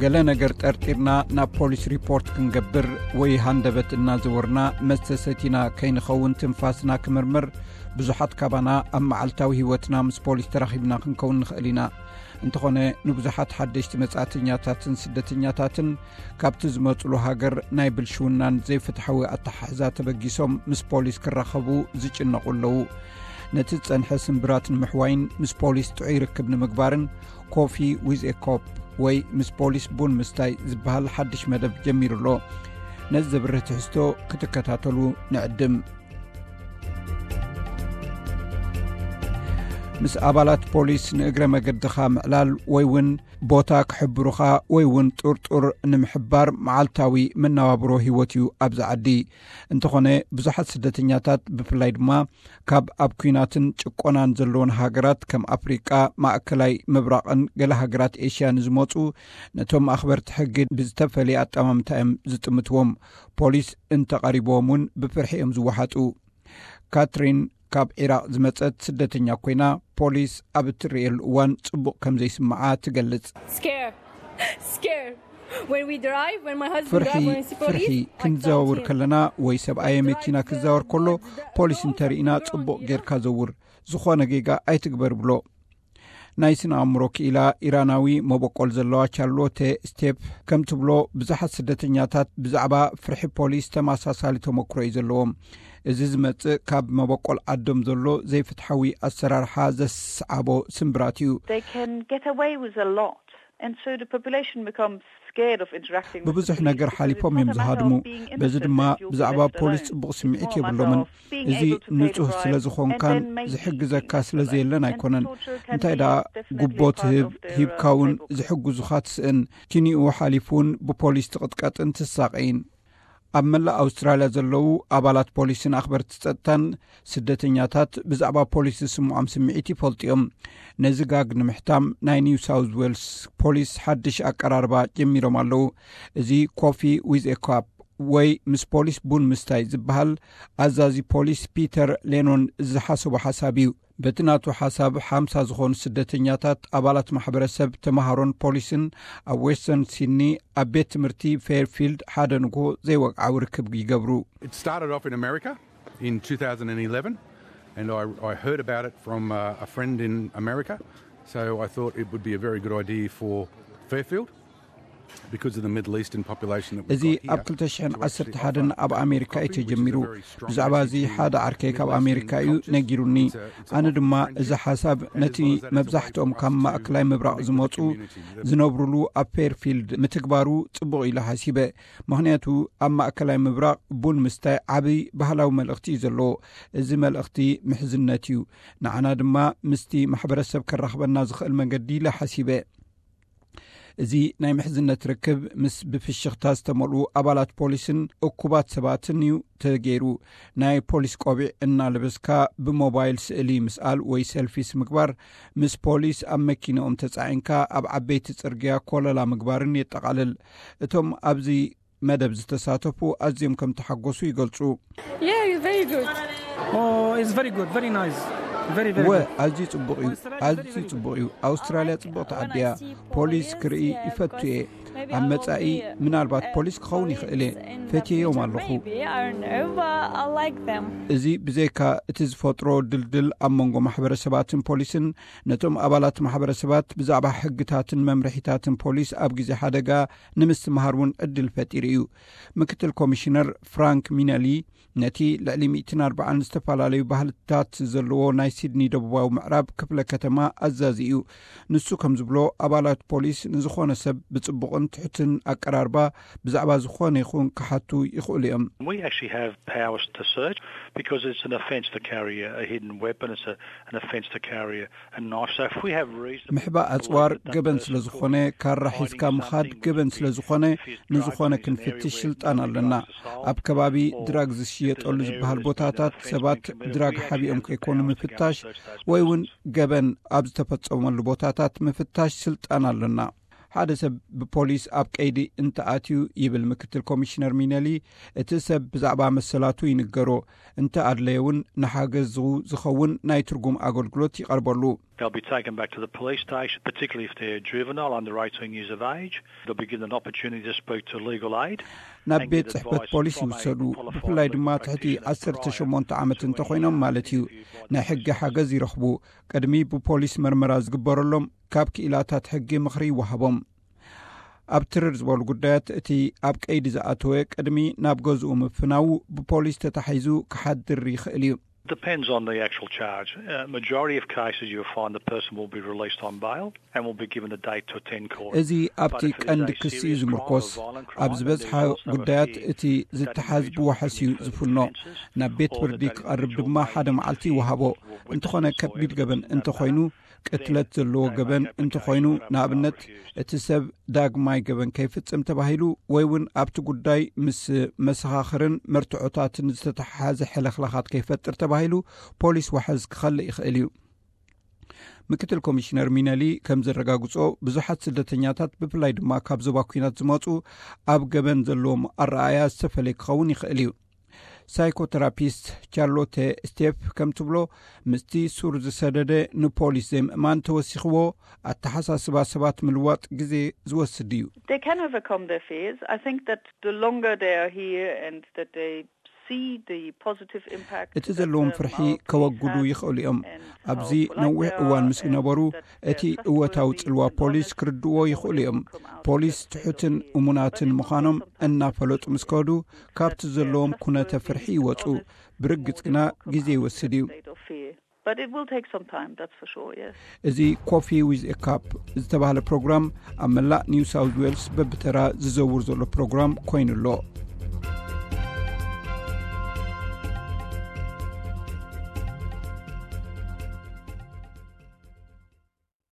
ገለ ነገር ጠርጢርና ናብ ፖሊስ ሪፖርት ክንገብር ወይ ሃንደበት እናዘወርና መስተ ሰቲና ከይንኸውን ትንፋስና ክምርምር፣ ብዙሓት ካባና ኣብ መዓልታዊ ህይወትና ምስ ፖሊስ ተራኺብና ክንከውን ንኽእል ኢና። እንተኾነ፣ ንብዙሓት ሓደሽቲ መጻእተኛታትን ስደተኛታትን ካብቲ ዝመጹሉ ሃገር ናይ ብልሽውናን ዘይፍትሓዊ ኣተሓሕዛ ተበጊሶም ምስ ፖሊስ ክራኸቡ ዝጭነቑ ኣለዉ። ነቲ ዝጸንሐ ስምብራት ንምሕዋይን ምስ ፖሊስ ጥዑይ ርክብ ንምግባርን፣ ኮፊ ዊዝ ኤ ኮፕ ወይ ምስ ፖሊስ ቡን ምስታይ ዝበሃል ሓድሽ መደብ ጀሚሩ ኣሎ። ነዚ ዘብርህ ትሕዝቶ ክትከታተሉ ንዕድም። ምስ ኣባላት ፖሊስ ንእግረ መገድኻ ምዕላል ወይ እውን ቦታ ክሕብሩኻ ወይ እውን ጥርጡር ንምሕባር መዓልታዊ መነባብሮ ህይወት እዩ ኣብዚ ዓዲ። እንተኾነ፣ ብዙሓት ስደተኛታት፣ ብፍላይ ድማ ካብ ኣብ ኲናትን ጭቆናን ዘለዎን ሃገራት ከም ኣፍሪቃ፣ ማእከላይ ምብራቕን ገለ ሃገራት ኤሽያ ንዝመጹ፣ ነቶም ኣኽበርቲ ሕጊ ብዝተፈልየ ኣጠማምታ እዮም ዝጥምትዎም። ፖሊስ እንተቐሪብዎም እውን ብፍርሒ እዮም ዝወሓጡ። ካትሪን ካብ ዒራቕ ዝመጸት ስደተኛ ኮይና፣ ፖሊስ ኣብ እትርእየሉ እዋን ጽቡቕ ከም ዘይስምዓ ትገልጽ። Scare. Scare. When we drive, when my husband ፍርሒ drives, when we see ፍርሒ police, I ክንዘዋውር don't hear. ከለና ወይ ሰብኣየ መኪና ክዛወር ከሎ፣ ፖሊስ እንተርኢና ጽቡቕ ጌርካ ዘውር፣ ዝኾነ ጌጋ ኣይትግበር ብሎ። ናይ ስነ ኣእምሮ ክኢላ ኢራናዊ መበቆል ዘለዋ ቻርሎቴ ስቴፕ ከም ትብሎ፣ ብዙሓት ስደተኛታት ብዛዕባ ፍርሒ ፖሊስ ተመሳሳሊ ተመክሮ እዩ ዘለዎም። እዚ ዝመጽእ ካብ መበቆል ዓዶም ዘሎ ዘይፍትሓዊ ኣሰራርሓ ዘስዓቦ ስምብራት እዩ። They can get away with a lot. And so the population becomes scared of interacting with the ብብዙሕ police ነገር because ሓሊፎም it's እዮም not a matter ዝሃድሙ። of being በዚ innocent ድማ that you'll be ብዛዕባ left ፖሊስ alone. ጽቡቕ ስምዒት It's more a matter የብሎምን። of being እዚ able to pay the ንጹህ bribe ስለ ዝኾንካን and then make ዝሕግዘካ peace ስለ with it. ዘየለን And ኣይኮነን። torture can እንታይ be ደኣ definitely ጉቦ a part ትህብ of their, ሂብካ uh, እውን playbook. ዝሕግዙኻ ትስእን። ኪንኡ ሓሊፉ እውን ብፖሊስ ትቕጥቀጥን ትሳቐይን። ኣብ መላእ ኣውስትራልያ ዘለዉ ኣባላት ፖሊስን ኣኽበርቲ ጸጥታን ስደተኛታት ብዛዕባ ፖሊስ ዝስምዖም ስምዒት ይፈልጡ እዮም። ነዚ ጋግ ንምሕታም ናይ ኒው ሳውዝ ዌልስ ፖሊስ ሓድሽ ኣቀራርባ ጀሚሮም ኣለዉ። እዚ ኮፊ ዊዝ ኤ ካፕ ወይ ምስ ፖሊስ ቡን ምስታይ ዝበሃል ኣዛዚ ፖሊስ ፒተር ሌኖን ዝሓሰቦ ሓሳብ እዩ። በቲ ናቱ ሓሳብ፣ ሓምሳ ዝኾኑ ስደተኛታት ኣባላት ማሕበረሰብ፣ ተምሃሮን ፖሊስን ኣብ ዌስተርን ሲድኒ ኣብ ቤት ትምህርቲ ፌርፊልድ ሓደ ንግሆ ዘይወግዓዊ ርክብ ይገብሩ። It started off in America in two thousand eleven, and I, I heard about it from uh, a friend in America. So I thought it would be a very good idea for Fairfield because of the Middle Eastern population that we've እዚ got here. ኣብ ክልተ ሽሕን ዓሰርተ ሓደን ኣብ ኣሜሪካ እዩ ተጀሚሩ። ብዛዕባ እዚ ሓደ ዓርከይ ካብ ኣሜሪካ እዩ ነጊሩኒ። ኣነ ድማ እዚ ሓሳብ ነቲ መብዛሕትኦም ካብ ማእከላይ ምብራቕ ዝመጹ ዝነብሩሉ ኣብ ፌርፊልድ ምትግባሩ ጽቡቕ ኢለ ሓሲበ። ምኽንያቱ ኣብ ማእከላይ ምብራቕ ቡን ምስታይ ዓቢ ባህላዊ መልእኽቲ እዩ ዘለዎ። እዚ መልእኽቲ ምሕዝነት እዩ። ንዓና ድማ ምስቲ ማሕበረሰብ ከራኽበና ዝኽእል መገዲ ኢለ ሓሲበ። እዚ ናይ ምሕዝነት ርክብ ምስ ብፍሽኽታ ዝተመልኡ ኣባላት ፖሊስን እኩባት ሰባትን እዩ ተገይሩ። ናይ ፖሊስ ቆቢዕ እናለበስካ ብሞባይል ስእሊ ምስኣል ወይ ሰልፊስ ምግባር፣ ምስ ፖሊስ ኣብ መኪንኦም ተጻዒንካ ኣብ ዓበይቲ ጽርግያ ኮለላ ምግባርን የጠቓልል። እቶም ኣብዚ መደብ ዝተሳተፉ ኣዝዮም ከም ተሓጎሱ ይገልጹ። Yeah, it's very good. Oh, it's very good, very nice, very, very ወ good. ኣዝዩ ጽቡቕ እዩ። ኣዝዩ ጽቡቕ እዩ። ኣውስትራልያ ጽብቕቲ ዓዲ እያ። ፖሊስ ክርኢ ይፈቱ እየ። ኣብ መጻኢ ምናልባት ፖሊስ ክኸውን ይኽእል እየ። ፈትየዮም ኣለኹ። እዚ ብዘይካ እቲ ዝፈጥሮ ድልድል ኣብ መንጎ ማሕበረሰባትን ፖሊስን፣ ነቶም ኣባላት ማሕበረሰባት ብዛዕባ ሕግታትን መምርሒታትን ፖሊስ ኣብ ግዜ ሓደጋ ንምስትምሃር እውን ዕድል ፈጢሩ እዩ። ምክትል ኮሚሽነር ፍራንክ ሚነሊ ነቲ ልዕሊ ሚእትን ኣርባዓን ዝተፈላለዩ ባህልታት ዘለዎ ናይ ሲድኒ ደቡባዊ ምዕራብ ክፍለ ከተማ ኣዛዚ እዩ። ንሱ ከም ዝብሎ፣ ኣባላት ፖሊስ ንዝኾነ ሰብ ብጽቡቕን ትሑትን ኣቀራርባ ብዛዕባ ዝኾነ ይኹን ክሓቱ ይኽእሉ እዮም። We actually have powers to search because it's an offence to carry a, a hidden weapon. It's a, an offence to carry a, a knife. So if we have reason ምሕባእ ኣጽዋር ገበን ስለ ዝኾነ፣ ካራ ሒዝካ ምኻድ ገበን ስለ ዝኾነ፣ ንዝኾነ ክንፍትሽ ስልጣን ኣለና። ኣብ ከባቢ ድራግ ዝሽየጠሉ ዝበሃል ቦታታት ሰባት ድራግ ሓቢኦም ከይኮኑ ምፍታሽ፣ ወይ እውን ገበን ኣብ ዝተፈጸመሉ ቦታታት ምፍታሽ ስልጣን ኣለና። ሓደ ሰብ ብፖሊስ ኣብ ቀይዲ እንተኣትዩ፣ ይብል ምክትል ኮሚሽነር ሚነሊ፣ እቲ ሰብ ብዛዕባ መሰላቱ ይንገሮ፣ እንተ ኣድለየ እውን ንሓገዝ ዝኸውን ናይ ትርጉም ኣገልግሎት ይቐርበሉ። They'll be taken back to the police station, particularly if they're juvenile under eighteen years of age. They'll be given an opportunity to speak to legal aid. ናብ ቤት ጽሕፈት ፖሊስ ይውሰዱ። ብፍላይ ድማ ትሕቲ ዓሰርተ ሸሞንተ ዓመት እንተኾይኖም ማለት እዩ። ናይ ሕጊ ሓገዝ ይረኽቡ። ቅድሚ ብፖሊስ መርመራ ዝግበረሎም፣ ካብ ክኢላታት ሕጊ ምኽሪ ይወሃቦም። ኣብ ትርር ዝበሉ ጉዳያት፣ እቲ ኣብ ቀይዲ ዝኣተወ ቅድሚ ናብ ገዝኡ ምፍናዉ ብፖሊስ ተታሒዙ ክሓድር ይኽእል እዩ። Depends on the actual charge. Uh, majority of cases, you'll find the person will be released on bail and will be given a date to attend court. እዚ ኣብቲ ቀንዲ ክሲ እዩ ዝምርኮስ። ኣብ ዝበዝሓ ጉዳያት፣ እቲ ዝተሓዝ ብዋሕስ እዩ ዝፍኖ። ናብ ቤት ፍርዲ ክቐርብ ድማ ሓደ መዓልቲ ይወሃቦ። እንተኾነ ከቢድ ገበን እንተኾይኑ፣ ቅትለት ዘለዎ ገበን እንተኾይኑ፣ ንኣብነት እቲ ሰብ ዳግማይ ገበን ከይፍጽም ተባሂሉ፣ ወይ እውን ኣብቲ ጉዳይ ምስ መሰኻኽርን መርትዖታትን ዝተተሓሓዘ ሕልኽላኻት ከይፈጥር ተባሂሉ፣ ፖሊስ ዋሕስ ክኸልእ ይኽእል እዩ። ምክትል ኮሚሽነር ሚነሊ ከም ዘረጋግጾ፣ ብዙሓት ስደተኛታት፣ ብፍላይ ድማ ካብ ዞባ ኲናት ዝመጹ፣ ኣብ ገበን ዘለዎም ኣረኣእያ ዝተፈለየ ክኸውን ይኽእል እዩ። ሳይኮተራፒስት ቻርሎተ ስቴፍ ከም ትብሎ፣ ምስቲ ሱር ዝሰደደ ንፖሊስ ዘይምእማን ተወሲኽዎ፣ ኣተሓሳስባ ሰባት ምልዋጥ ግዜ ዝወስድ እዩ። They can overcome their fears. I think that the longer they are here and that they see the positive impact እቲ ዘለዎም ፍርሒ ከወግዱ ይኽእሉ እዮም። ኣብዚ ነዊሕ እዋን ምስ ዝነበሩ፣ እቲ እወታዊ ጽልዋ ፖሊስ ክርድዎ ይኽእሉ እዮም። ፖሊስ ትሑትን እሙናትን ምዃኖም እናፈለጡ ምስ ከዱ፣ ካብቲ ዘለዎም ኩነተ ፍርሒ ይወጹ። ብርግጽ ግና ግዜ ይወስድ እዩ። But it will take some time, that's for sure, yes. እዚ ኮፊ ዊዝ ኤ ካፕ ዝተባህለ ፕሮግራም ኣብ መላእ ኒው ሳውዝ ዌልስ በብተራ ዝዘውር ዘሎ ፕሮግራም ኮይኑ ኣሎ።